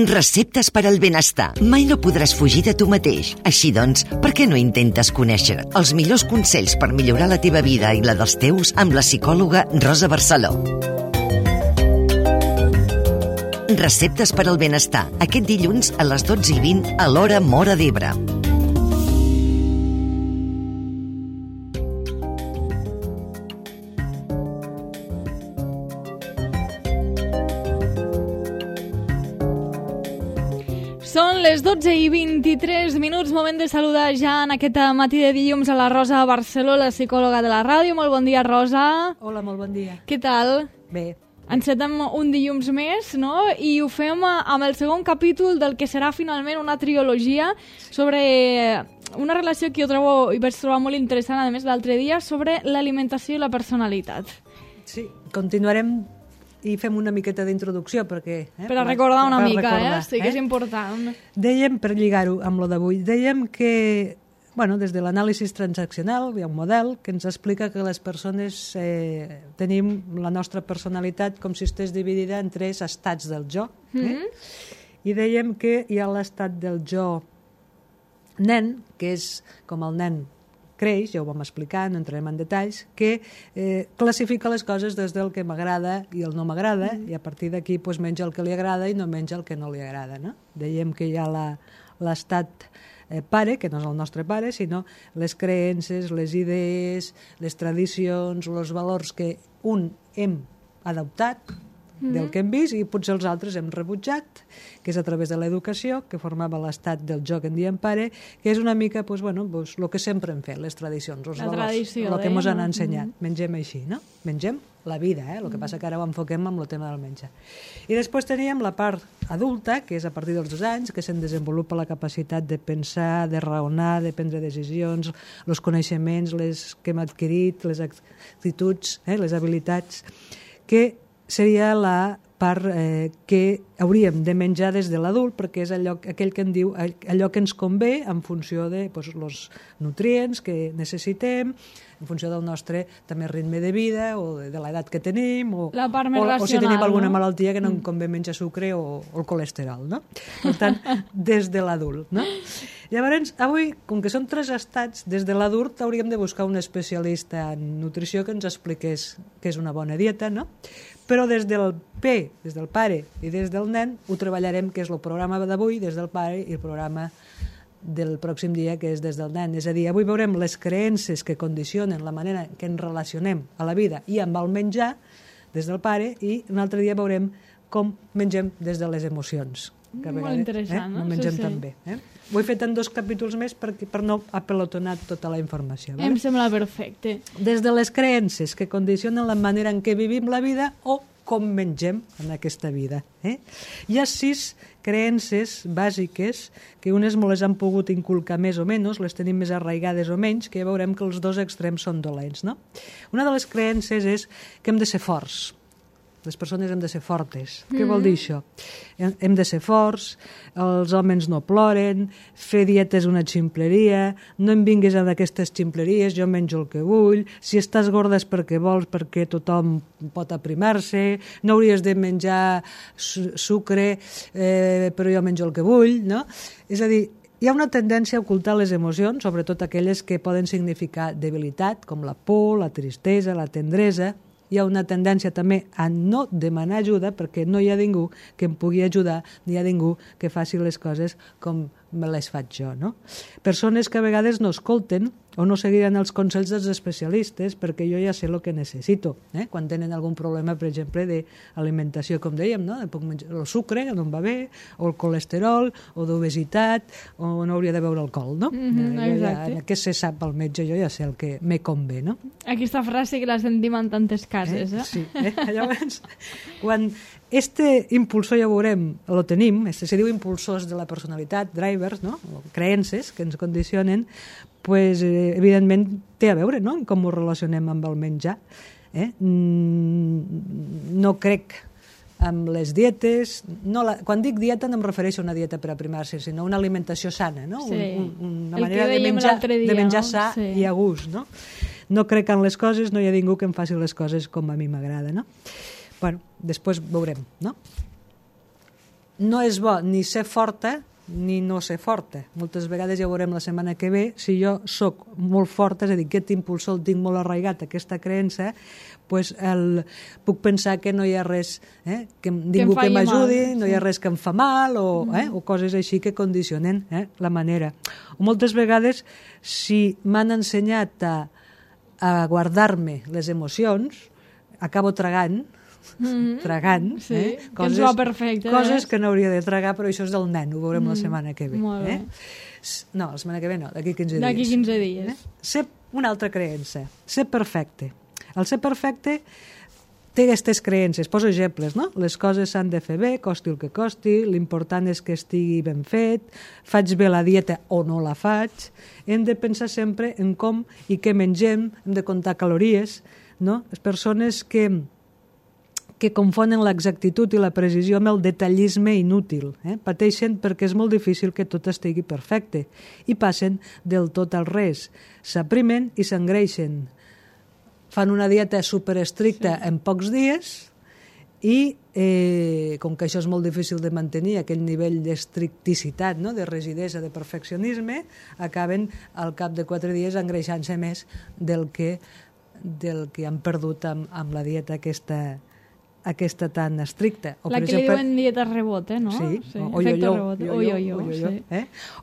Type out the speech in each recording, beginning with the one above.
Receptes per al benestar. Mai no podràs fugir de tu mateix. Així doncs, per què no intentes conèixer els millors consells per millorar la teva vida i la dels teus amb la psicòloga Rosa Barceló? Receptes per al benestar. Aquest dilluns a les 12:20 a l'hora Móra d'Ebre. Són les 12:23, moment de saludar ja en aquest matí de dilluns a la Rosa Barceló, la psicòloga de la ràdio. Molt bon dia, Rosa. Hola, molt bon dia. Què tal? Bé. Encetem un dilluns més, no? I ho fem amb el segon capítol del que serà finalment una trilogia sobre una relació que jo trobo i vaig trobar molt interessant, a més, l'altre dia, sobre l'alimentació i la personalitat. Sí, continuarem i fem una miqueta d'introducció perquè... Per a recordar una mica, recordar, sí que és important. Dèiem, per lligar-ho amb lo d'avui, dèiem que, des de l'anàlisi transaccional hi ha un model que ens explica que les persones tenim la nostra personalitat com si estigués dividida en 3 estats del jo. I dèiem que hi ha l'estat del jo nen, que és com el nen creix, ja ho vam explicar, no entrarem en detalls, que classifica les coses des del que m'agrada i el no m'agrada, i a partir d'aquí menja el que li agrada i no menja el que no li agrada. No? Dèiem que hi ha l'estat pare, que no és el nostre pare, sinó les creences, les idees, les tradicions, els valors que hem adoptat del que hem vist i potser els altres hem rebutjat, que és a través de l'educació, que formava l'estat del jo que en diem pare, que és una mica el que sempre hem fet, les tradicions, els valors, el que ens han ensenyat. Mengem així, no? Mengem la vida, el que passa que ara ho enfoquem amb el tema del menjar. I després teníem la part adulta, que és a partir dels 2 anys, que se'n desenvolupa la capacitat de pensar, de raonar, de prendre decisions, els coneixements, les que hem adquirit, les actituds, les habilitats, que seria la part que hauríem de menjar des de l'adult, perquè és aquell que en diu allò que ens convé en funció de els nutrients que necessitem, en funció del nostre també ritme de vida o de l'edat que tenim o si tenim alguna malaltia que no em convé menjar sucre o el colesterol, no? Per tant, des de l'adult, no? Llavors, avui, com que són 3 estats, des de l'adult hauríem de buscar un especialista en nutrició que ens expliqués què és una bona dieta, no? Però des del des del pare i des del nen ho treballarem, que és el programa d'avui, des del pare, i el programa del pròxim dia, que és des del nen. És a dir, avui veurem les creences que condicionen la manera que ens relacionem a la vida i amb el menjar des del pare, i un altre dia veurem com mengem des de les emocions. Que molt interessant, no mengem tan bé. Ho he fet en 2 capítols més per no apelotonar tota la informació. Em sembla perfecte. Des de les creences que condicionen la manera en què vivim la vida o com mengem en aquesta vida. Hi ha 6 creences bàsiques que unes me les han pogut inculcar més o menys, les tenim més arraigades o menys, que ja veurem que els 2 extrems són dolents. No? Una de les creences és que hem de ser forts. Les persones hem de ser fortes. Què vol dir això? Hem de ser forts, els homes no ploren, fer dieta és una ximpleria, no em vinguis amb aquestes ximpleries, jo menjo el que vull, si estàs gorda és perquè vols, perquè tothom pot aprimar-se, no hauries de menjar sucre, però jo menjo el que vull, no? És a dir, hi ha una tendència a ocultar les emocions, sobretot aquelles que poden significar debilitat, com la por, la tristesa, la tendresa. Hi ha una tendència també a no demanar ajuda perquè no hi ha ningú que em pugui ajudar, ni hi ha ningú que faci les coses com me les faig jo, no? Persones que a vegades no escolten o no seguiran els consells dels especialistes perquè jo ja sé el que necessito. Quan tenen algun problema, per exemple, d'alimentació, com dèiem, no? Puc menjar el sucre, no em va bé, o el colesterol, o d'obesitat, o no hauria de beure alcohol, no? Què se sap al metge, jo ja sé el que me convé, no? Aquesta frase que la sentim en tantes cases, Sí. Llavors, quan impulsor, ja ho veurem, el tenim, se diu impulsors de la personalitat, drivers, no? O creences que ens condicionen, pues, evidentment té a veure, no?, com ho relacionem amb el menjar. No crec amb les dietes, quan dic dieta no em refereixo a una dieta per aprimar-se, sinó una alimentació sana, no? Una manera de menjar sa i a gust, no? No crec en les coses, no hi ha ningú que em faci les coses com a mi m'agrada, no? Bueno, després veurem, no? no és bo ni ser forta ni no ser forta. Moltes vegades ja veurem la setmana que ve, si jo sóc molt forta, és a dir, aquest impulsor el tinc molt arraigat, aquesta creença, pues puc pensar que no hi ha res, que ningú que m'ajudi, no hi ha res que em fa mal, o coses així que condicionen la manera. O moltes vegades, si m'han ensenyat a guardar-me les emocions, acabo tragant, coses que no hauria de tragar, però això és del nen, ho veurem la setmana que ve. No, la setmana que ve no, d'aquí 15 dies. D'aquí 15 dies. Ser una altra creença, ser perfecte. El ser perfecte té aquestes creences, poso exemples, no? Les coses s'han de fer bé, costi el que costi, l'important és que estigui ben fet, faig bé la dieta o no la faig, hem de pensar sempre en com i què mengem, hem de comptar calories, no? Les persones que confonen l'exactitud i la precisió amb el detallisme inútil. Pateixen perquè és molt difícil que tot estigui perfecte i passen del tot al res. S'aprimen i s'engreixen. Fan una dieta superestricta en pocs dies i, com que això és molt difícil de mantenir, aquell nivell d'estricticitat, no? De rigidesa, de perfeccionisme, acaben al cap de 4 dies engreixant-se més del que han perdut amb la dieta aquesta tan estricta. La que li diuen dieta rebot, no? Sí, o yo-yo.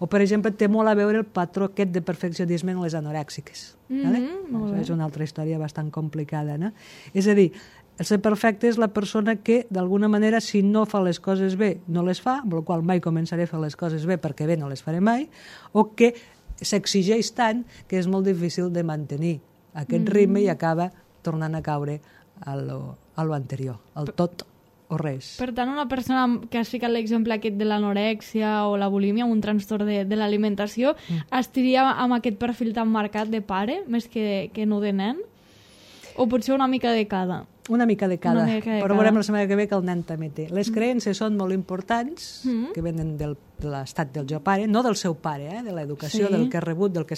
O, per exemple, té molt a veure el patró aquest de perfeccionisme en les anorèxiques. És una altra història bastant complicada, no? És a dir, el ser perfecte és la persona que, d'alguna manera, si no fa les coses bé, no les fa, amb la qual mai començaré a fer les coses bé perquè bé no les faré mai, o que s'exigeix tant que és molt difícil de mantenir aquest ritme i acaba tornant a caure a lo anterior, al tot o res. Per tant, una persona que has ficat l'exemple aquest de l'anorèxia o la bulímia, un trastorn de l'alimentació, estaria amb aquest perfil tan marcat de pare, més que no de nen? O potser una mica de cada? Una mica de cada, però veurem la setmana que ve que el nen també té. Les creences són molt importants, que venen de l'estat del jo pare, no del seu pare, de l'educació, del que ha rebut, del que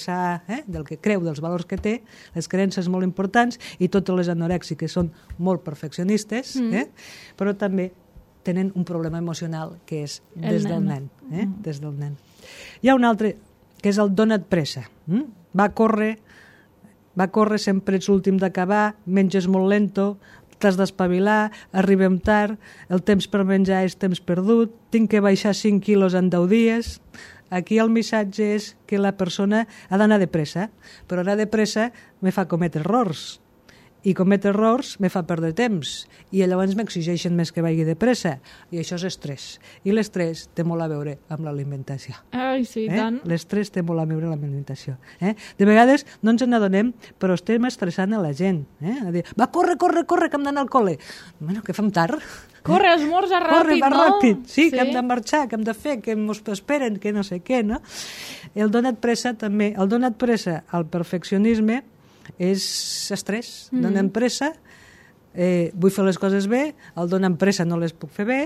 creu, dels valors que té. Les creences molt importants, i totes les anorèxiques són molt perfeccionistes, però també tenen un problema emocional que és des del nen. Des del nen. Hi ha un altre, que és el dona't pressa. Va córrer, sempre ets l'últim d'acabar, menges molt lento, t'has d'espavilar, arribem tard, el temps per menjar és temps perdut, tinc que baixar 5 quilos en 10 dies. Aquí el missatge és que la persona ha d'anar de pressa, però anar de pressa me fa cometre errors, i cometre errors me fa perdre temps, i llavors m'exigeixen més que vagi de pressa, i això és estrès. I l'estrès té molt a veure amb l'alimentació. Ai, sí, tant. L'estrès té molt a veure amb l'alimentació. De vegades no ens n'adonem, però estem estressant a la gent. A dir, va, corre, que hem d'anar al col·le. Bueno, que fem tard. Corre, esmorza ràpid, no? Ràpid, sí, que hem de marxar, que hem de fer, que ens esperen, que no sé què, no? El donat pressa també, el donat pressa al perfeccionisme és estrès, donen pressa, vull fer les coses bé, el donen pressa no les puc fer bé,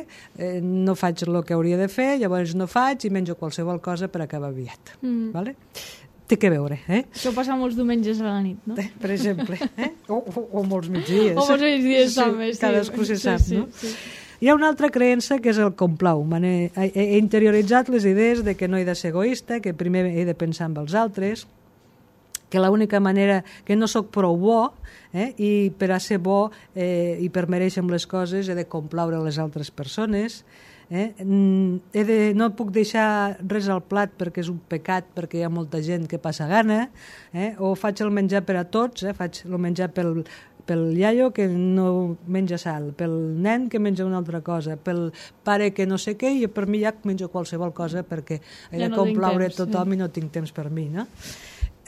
no faig el que hauria de fer, llavors no faig i menjo qualsevol cosa per acabar aviat. Vale? Té que veure. Això passa molts diumenges a la nit, no? Per exemple. O molts migdies. O molts migdies també, sí. Cadascú se sap, no? Hi ha una altra creença que és el complau. He interioritzat les idees de que no he de ser egoista, que primer he de pensar en els altres, que l'única manera, que no sóc prou bo, i per a ser bo i per mereixer les coses he de complaure les altres persones, no puc deixar res al plat perquè és un pecat, perquè hi ha molta gent que passa gana, o faig el menjar per a tots, faig el menjar pel iaio que no menja sal, pel nen que menja una altra cosa, pel pare que no sé què, i per mi ja menjo qualsevol cosa perquè he de complaure tothom i no tinc temps per mi, no?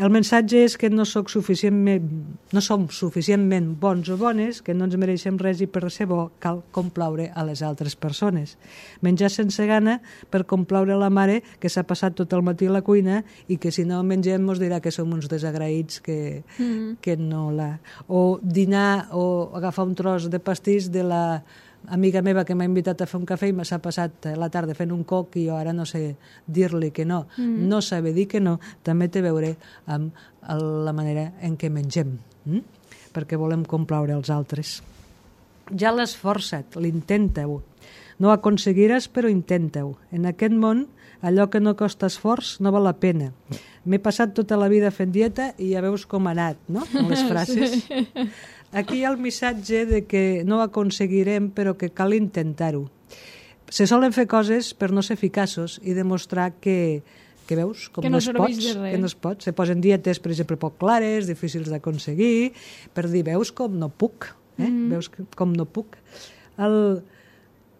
El missatge és que no som suficientment bons o bones, que no ens mereixem res i per ser bo cal complaure a les altres persones. Menjar sense gana per complaure la mare que s'ha passat tot el matí a la cuina i que si no mengem ens dirà que som uns desagraïts que no la... O dinar o agafar un tros de pastís de la amiga meva que m'ha invitat a fer un cafè i m'ha passat la tarda fent un coc i jo ara no sé dir-li que no. No saber dir que no també té a veure amb la manera en què mengem, perquè volem complaure els altres. Ja l'has forçat, l'intenta-ho. No ho aconseguiràs, però intenta-ho. En aquest món, allò que no costa esforç no val la pena. M'he passat tota la vida fent dieta i ja veus com ha anat, no?, amb les frases. Sí. Aquí hi ha el missatge de que no ho aconseguirem, però que cal intentar-ho. Se solen fer coses per no ser eficaços i demostrar que veus, com no es pot, que no es pot. Se posen dietes, per exemple, poc clares, difícils d'aconseguir, per dir, veus com no puc, veus com no puc.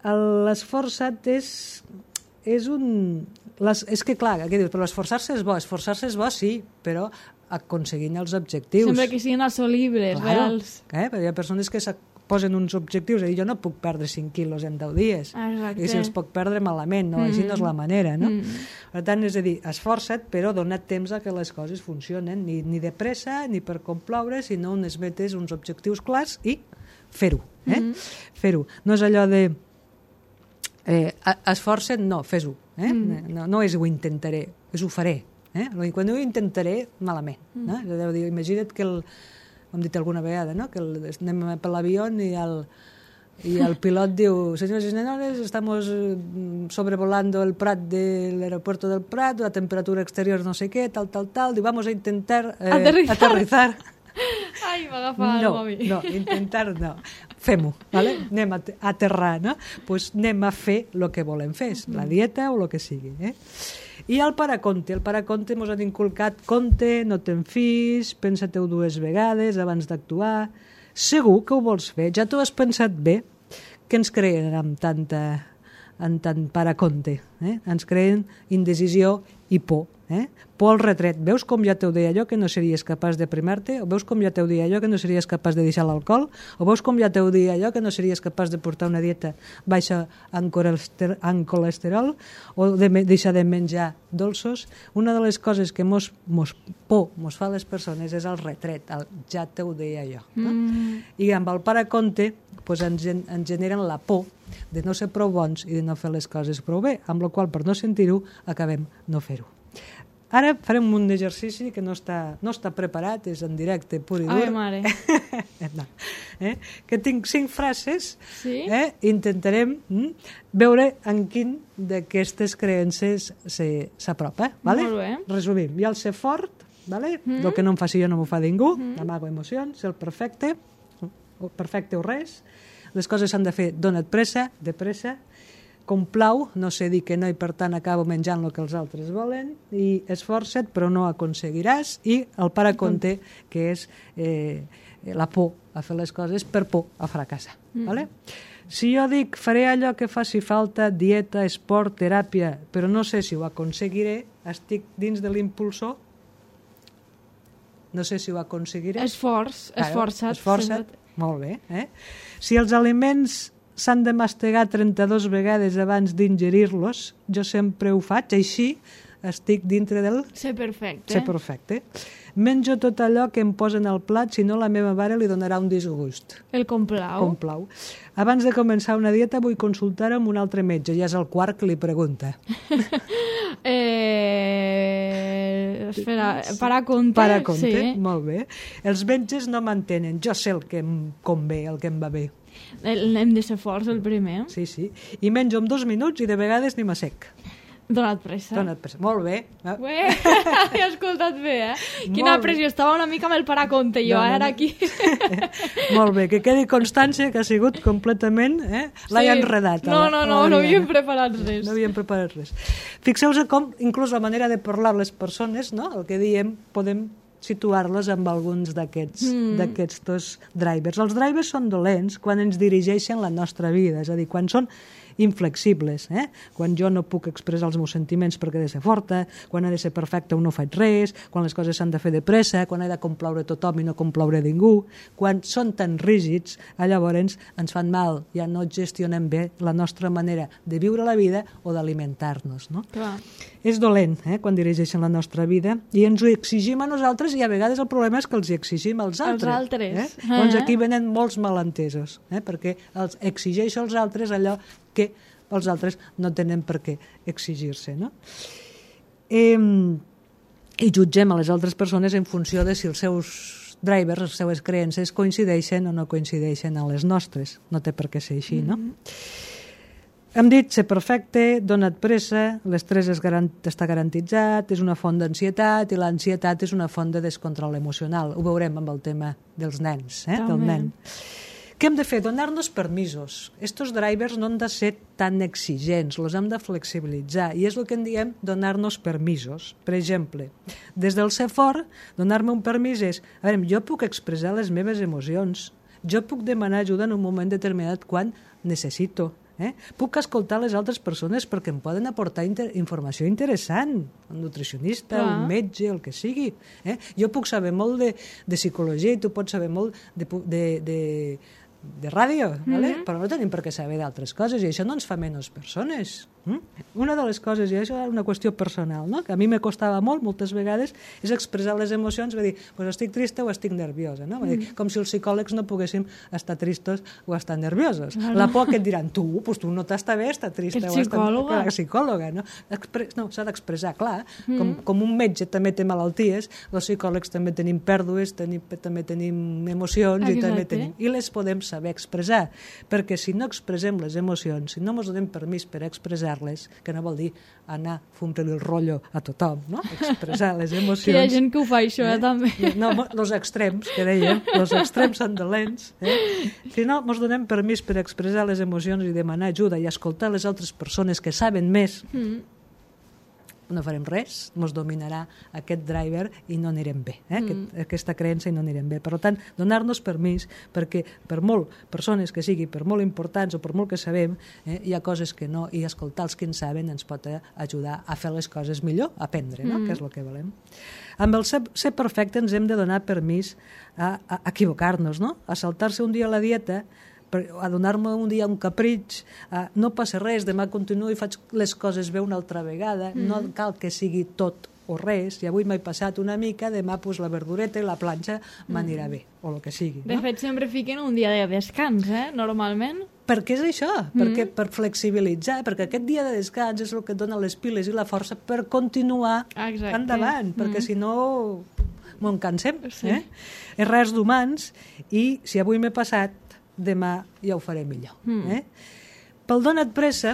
L'esforçat és un... És que, clar, què dius? Però esforçar-se és bo. Esforçar-se és bo, sí, però aconseguint els objectius. Sempre que siguin assolibles, reals. Perquè hi ha persones que posen uns objectius, és a dir, jo no puc perdre 5 quilos en 10 dies. Exacte. I si els puc perdre malament, no? Així no és la manera, no? Per tant, és a dir, esforça't, però dona't temps a que les coses funcionen, ni de pressa, ni per complaure, sinó unes metes, uns objectius clars i fer-ho. Fer-ho. No és allò de esforça't, no, fes-ho. No és ho intentaré, és ho faré. Quan ho intentaré, malament. Imagina't que ho hem dit alguna vegada, no? Que anem per l'avió i el pilot diu: senyors i senyores, estamos sobrevolando el Prat del aeropuerto del Prat, la temperatura exterior no sé què, tal, diu, vamos a intentar aterrizar. Ai, m'agafa el mòbil. No, intentar no. Fem-ho, ¿vale? Anem a aterrar, no? Pues anem a fer el que volem fer, la dieta o el que sigui, I el paraconte. El paraconte ens han inculcat compte, no te'n fis, pensa-te-ho 2 vegades abans d'actuar. Segur que ho vols fer, ja t'ho has pensat bé, que ens creen amb tant paraconte. Ens creen indecisió i por. Por al retret. Veus com ja t'ho deia allò que no series capaç de primar-te? O veus com ja t'ho deia allò que no series capaç de deixar l'alcohol? O veus com ja t'ho deia allò que no series capaç de portar una dieta baixa en colesterol? O de deixar de menjar dolços? Una de les coses que mos fa a les persones és el retret, el ja t'ho deia allò. I amb el paraconte ens generen la por de no ser prou bons i de no fer les coses prou bé, amb la qual per no sentir-ho acabem no fer-ho. Ara farem un exercici que no està preparat, és en directe pur i dur. Ai, mare. No. Que tinc 5 frases, sí? Intentarem veure en quin d'aquestes creences s'apropa. Vale? Molt bé. Resumim, hi ha el ser fort, vale? El que no em faci jo no m'ho fa ningú, amago emocions, el perfecte o res, les coses s'han de fer, dona't pressa, de pressa, complau, no sé dir que no i per tant acabo menjant el que els altres volen, i esforça't però no aconseguiràs, i el paraconte, que és la por a fer les coses per por a fracassar. Vale? Si jo dic faré allò que faci falta, dieta, esport, teràpia, però no sé si ho aconseguiré, estic dins de l'impulsor, no sé si ho aconseguiré. Esforça't. Molt bé. Si els aliments s'han de mastegar 32 vegades abans d'ingerir-los, jo sempre ho faig, així estic dintre del... Ser perfecte. Ser perfecte. Menjo tot allò que em posen al plat, si no la meva mare li donarà un disgust. El complau. Abans de començar una dieta vull consultar amb un altre metge, ja és el quart que li pregunta. Espera, paraconte. Paraconte, sí. Molt bé. Els metges no m'entenen, jo sé el que em convé, el que em va bé. Hem de ser forts, el primer. Sí. I menjo en 2 minuts i de vegades ni m'assec. Dona't pressa. Molt bé. He escoltat bé, Quina pressió. Estava una mica amb el paraconte, jo, ara aquí. Molt bé, que quedi constància que ha sigut completament... L'he enredat. No havíem preparat res. No havíem preparat res. Fixeu-vos com, inclús la manera de parlar les persones, no? El que diem, podem situar-les amb alguns d'aquests drivers. Els drivers són dolents quan ens dirigeixen la nostra vida, és a dir, quan són inflexibles, quan jo no puc expressar els meus sentiments perquè he de ser forta, quan he de ser perfecta o no faig res, quan les coses s'han de fer de pressa, quan he de complaure tothom i no complaure ningú, quan són tan rígids, llavors ens fan mal, ja no gestionem bé la nostra manera de viure la vida o d'alimentar-nos. No? Clar. És dolent quan dirigeixen la nostra vida i ens ho exigim a nosaltres i a vegades el problema és que els hi exigim als altres. Doncs aquí venen molts malentesos, perquè els exigeixo als altres allò que els altres no tenen per què exigir-se. No? I jutgem a les altres persones en funció de si els seus drivers, les seues creences coincideixen o no coincideixen amb les nostres. No té per què ser així, no? Hem dit ser perfecte, dona't pressa, l'estrès està garantitzat, és una font d'ansietat i l'ansietat és una font de descontrol emocional. Ho veurem amb el tema dels nens, del nen. Què hem de fer? Donar-nos permisos. Estos drivers no han de ser tan exigents, els hem de flexibilitzar i és el que en diem donar-nos permisos. Per exemple, des del ser fort, donar-me un permís és, a veure, jo puc expressar les meves emocions, jo puc demanar ajuda en un moment determinat quan necessito. Puc escoltar les altres persones perquè em poden aportar informació interessant, un nutricionista, un metge, el que sigui. Jo puc saber molt de psicologia i tu pots saber molt de ràdio, però no tenim per què saber d'altres coses i això no ens fa menys persones. Una de les coses, i això és una qüestió personal, que a mi me costava moltes vegades, és expressar les emocions, dir, estic trista o estic nerviosa, com si els psicòlegs no poguéssim estar tristos o estar nerviosos. La por que et diran, tu no t'està bé estar trista o estar psicòloga. No, s'ha d'expressar, clar, com un metge també té malalties, els psicòlegs també tenim pèrdues, també tenim emocions i les podem saber expressar, perquè si no expressem les emocions, si no ens donem permís per expressar que no vol dir anar fumant-li el rotllo a tothom, no? Expressar les emocions. Hi ha gent que ho fa, això, també. No, els extrems, que dèiem, els extrems són dolents. Si no, ens donem permís per expressar les emocions i demanar ajuda i escoltar les altres persones que saben més, no farem res, ens dominarà aquest driver i no anirem bé, aquesta creença i no anirem bé. Per tant, donar-nos permís, perquè per molt persones que sigui, per molt importants o per molt que sabem, hi ha coses que no, i escoltar els que en saben ens pot ajudar a fer les coses millor, a aprendre, que és el que volem. Amb el ser perfecte ens hem de donar permís a equivocar-nos, a saltar-se un dia a la dieta, a donar-me un dia un capritx, no passa res, demà continuo i faig les coses bé una altra vegada, no cal que sigui tot o res, i avui m'he passat una mica, demà la verdureta i la planxa m'anirà bé, o el que sigui. De fet, sempre fiquen un dia de descans, normalment. Per què és això? Perquè per flexibilitzar, perquè aquest dia de descans és el que et dona les piles i la força per continuar endavant, perquè si no m'ho cansem. És res d'humans, i si avui m'he passat, demà ja ho faré millor. Pel dona't pressa,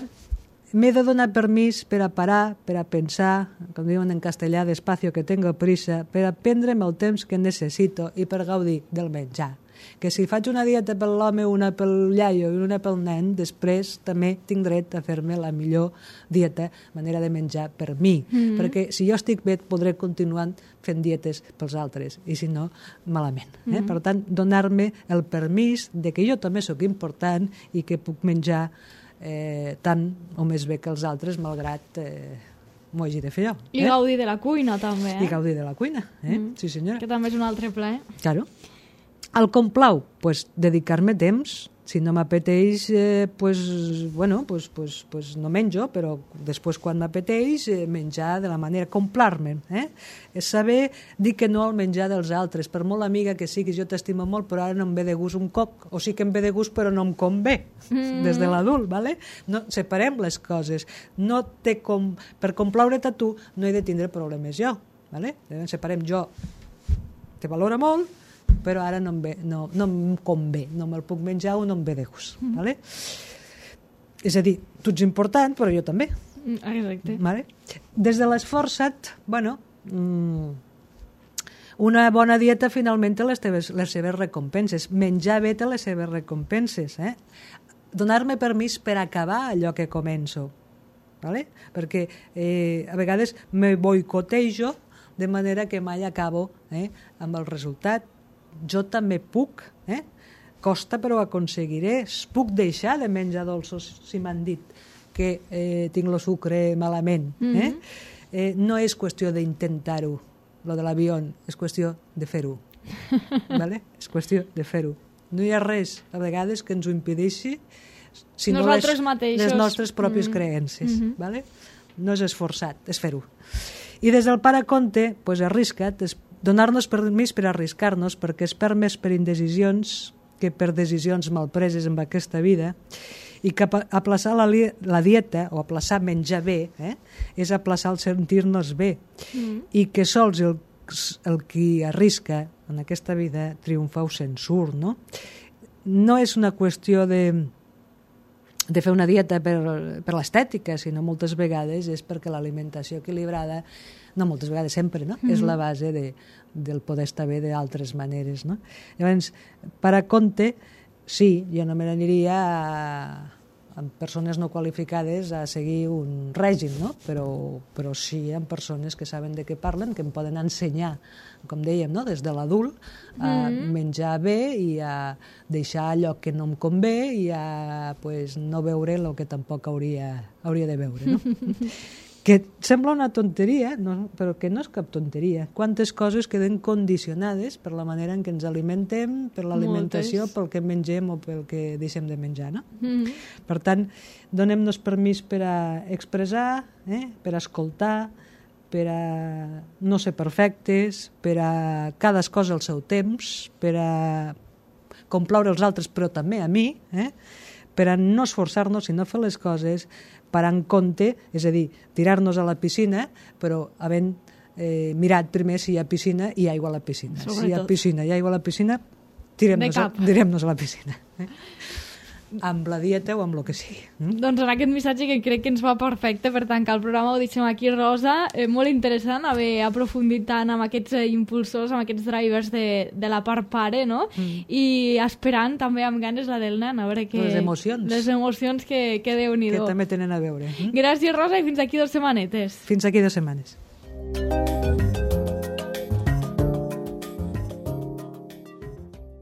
m'he de donar permís per a parar, per a pensar, com diuen en castellà, despacio que tengo prisa, per a prendre'm el temps que necessito i per gaudir del menjar. Que si faig una dieta per l'home, una pel iaio i una pel nen, després també tinc dret a fer-me la millor dieta, manera de menjar per mi. Perquè si jo estic bé, podré continuar fent dietes pels altres, i si no, malament. Per tant, donar-me el permís de que jo també sóc important i que puc menjar tant o més bé que els altres, malgrat m'ho hagi de fer jo. I gaudir de la cuina, també. I gaudir de la cuina, sí senyora. Que també és un altre plaer. Claro. El com plau, dedicar-me temps. Si no m'apeteix, no menjo, però després quan m'apeteix, menjar de la manera, complar-me. És saber dir que no al menjar dels altres. Per molt amiga que siguis, jo t'estimo molt, però ara no em ve de gust un coc, o sí que em ve de gust, però no em convé, des de l'adult, ¿vale? No, separem les coses. No per complaure-te a tu, no he de tindre problemes jo, ¿vale? Separem jo, te valora molt, però ara no em convé, no me'l puc menjar o no em ve de gust. És a dir, tu ets important, però jo també. Exacte. Des de l'esforçat, una bona dieta finalment té les seves recompenses. Menjar bé té les seves recompenses. Donar-me permís per acabar allò que començo. Perquè a vegades me boicotejo de manera que mai acabo amb el resultat. Jo també puc, costa però ho aconseguiré, puc deixar de menjar dolços si m'han dit que tinc el sucre malament. No és qüestió d'intentar-ho, lo de l'avió, és qüestió de fer-ho. És qüestió de fer-ho. No hi ha res, a vegades, que ens ho impedeixi sinó les nostres pròpies creences. No és esforçat, és fer-ho. I des del pare Conte, arrisca't, donar-nos permís per arriscar-nos, perquè es perd més per indecisions que per decisions malpreses en aquesta vida, i que aplaçar la dieta o aplaçar menjar bé és aplaçar el sentir-nos bé, i que sols el qui arrisca en aquesta vida triomfa o se'n surt. No és una qüestió de fer una dieta per l'estètica, sinó moltes vegades és perquè l'alimentació equilibrada, no moltes vegades, sempre, no? És la base del poder estar bé d'altres maneres, no? Llavors, per a compte, sí, jo no me n'aniria amb persones no qualificades a seguir un règim, no? Però sí amb persones que saben de què parlen, que em poden ensenyar, com dèiem, no? Des de l'adult, a menjar bé i a deixar allò que no em convé i a no veure el que tampoc hauria de veure, no? Que sembla una tonteria, però que no és cap tonteria. Quantes coses queden condicionades per la manera en què ens alimentem, per l'alimentació, pel que mengem o pel que deixem de menjar, no? Per tant, donem-nos permís per a expressar, per a escoltar, per a no ser perfectes, per a cada cosa al seu temps, per a complaure els altres, però també a mi, per a no esforçar-nos i no fer les coses per en compte, és a dir, tirar-nos a la piscina, però havent mirat primer si hi ha piscina i aigua a la piscina. Sobretot. Si hi ha piscina i aigua a la piscina, tirem-nos a la piscina. Amb la dieta o amb el que sigui. Doncs en aquest missatge que crec que ens va perfecte per tancar el programa ho deixem aquí, Rosa. Molt interessant haver aprofundit tant amb aquests impulsors, amb aquests drivers de la part pare, no? I esperant també amb ganes la del nen, a veure què... Les emocions. Les emocions que Déu-n'hi-do. Que també tenen a veure. Gràcies, Rosa, i fins aquí 2 setmanetes. Fins aquí 2 setmanes.